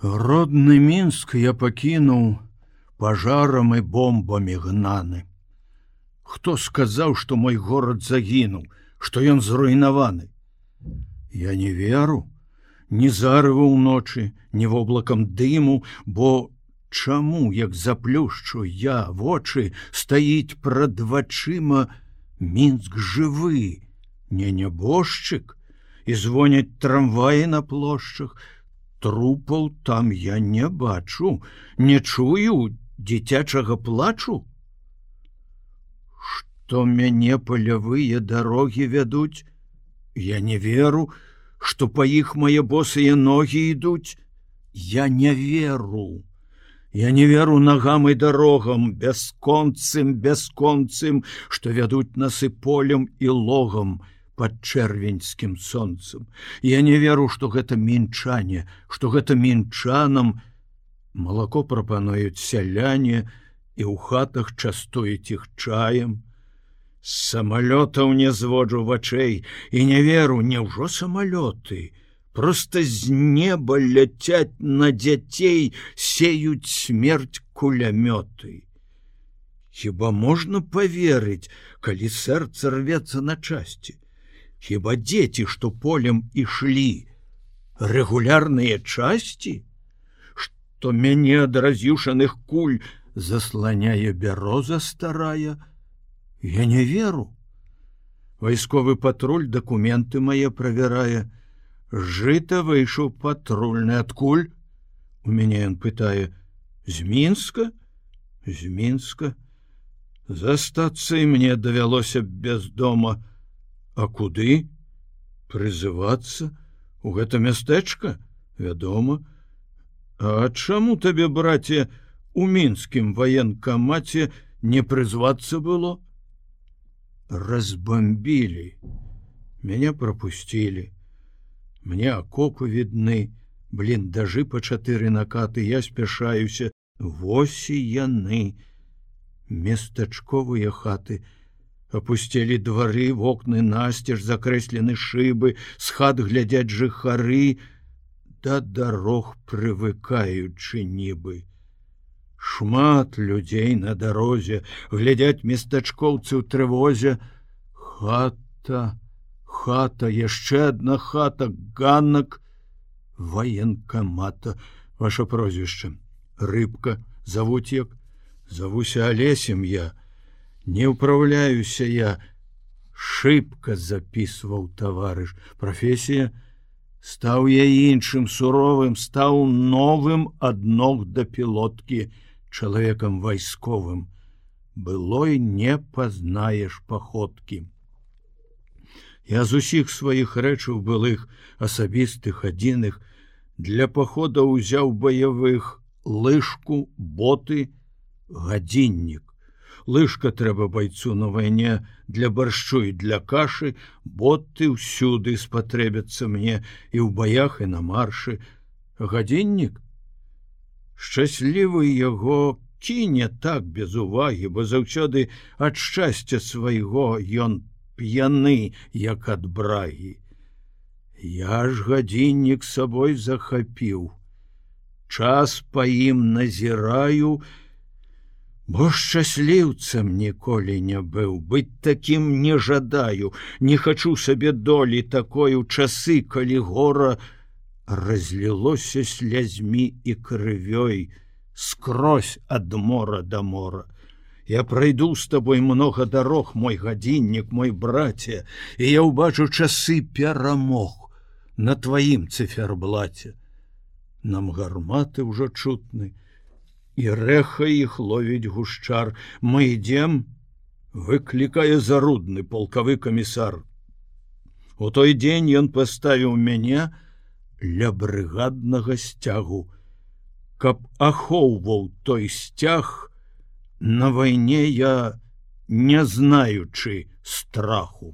Родны Мінск я пакінуў пажарам і бомбамі гнаны. Хто сказаў, што мой горад загінуў, што ён зруйнаваны? Я не веру, ні зарыву ўночы, ні воблакам дыму, бо чаму, як заплюшчу я вочы, стаіць прад вачыма Мінск жывы, не нябожчык, і звоняць трамваі на плошчах. Трупаў там я не бачу, не чую дзіцячага плачу. Што мяне палявыя дарогі вядуць, я не веру, што па іх мае босыя ногі ідуць. Я не веру. Я не веру нагам і дарогам, бясконцым, што вядуць нас і полем і логам пад чэрвеньскім сонцам. Я не веру, што гэта мінчане, што гэта мінчанам. Малако прапануюць сяляне і ў хатах частуюць іх чаем. З самалётаў не зводжу вачэй і не веру, няўжо самалёты? Проста з неба ляцяць на дзяцей, сеюць смерць кулямёты. Хіба можна паверыць, калі сэрца рвецца на часці? Хіба дзеці, што полем ішлі, рэгулярныя часці? Што мяне ад раз'юшаных куль засланяе бяроза старая? Я не веру. Вайсковы патруль дакументы мае правярае. Жыта выйшаў патрульны. Адкуль? У мяне ён пытае. З Мінска? З Мінска. Застацца і мне давялося без дома. А куды? Прызывацца? У гэта мястэчка? Вядома. А чаму табе, браце, у мінскім ваенкамаце не прызвацца было? Разбомбілі. Мяне прапусцілі. Мне акопы відны, бліндажы па 4 накаты, я спяшаюся. Вось і яны. Местачковыя хаты. Апусцелі двары, вокны насцеж, закрэслены шыбы, з хат глядзяць жыхары, да дарог прывыкаючы нібы. Шмат людзей на дарозе, глядяць местачкоўцы ў трывозе. Хата, яшчэ адна хата, ганак ваенкамата. Ваша прозвішча? Рыбка. Завуць як? Завуся Алесем я. Не ўпраўляюся я. Шыбка, запісваў таварыш. Прафесія? Стаў я іншым, суровым, стаў новым ад ног да пілоткі, чалавекам вайсковым. Былой не пазнаеш паходкі. Я з усіх сваіх рэчаў былых, асабістых, адзіных, для пахода ўзяў баявых лыжку, боты, гадзіннік. Лыжка трэба байцу на вайне для баршчу і для кашы, боты ўсюды спатрэбяцца мне і ў баях, і на маршы. Гадзіннік? Шчаслівы яго кіне так без увагі, бо заўсёды ад шчасця свайго ён п'яны, як ад брагі. Я ж гадзіннік сабой захапіў. Час па ім назіраю, бо шчасліўцам ніколі не быў, быць такім не жадаю, не хачу сабе долі такой у часы, калі гора разлілося слязьмі і крывёй скрозь ад мора да мора. Я прайду з табой многа дарог, мой гадзіннік, мой браце, і я ўбачу часы перамог на тваім цыферблаце. Нам гарматы ўжо чутны, і рэха іх ловіць гушчар. Мы ідзем, выклікае Зарудны, палкавы камісар. У той дзень ён паставіў мяне ля брыгаднага сцягу, каб ахоўваў той сцяг на вайне я, не знаючы страху.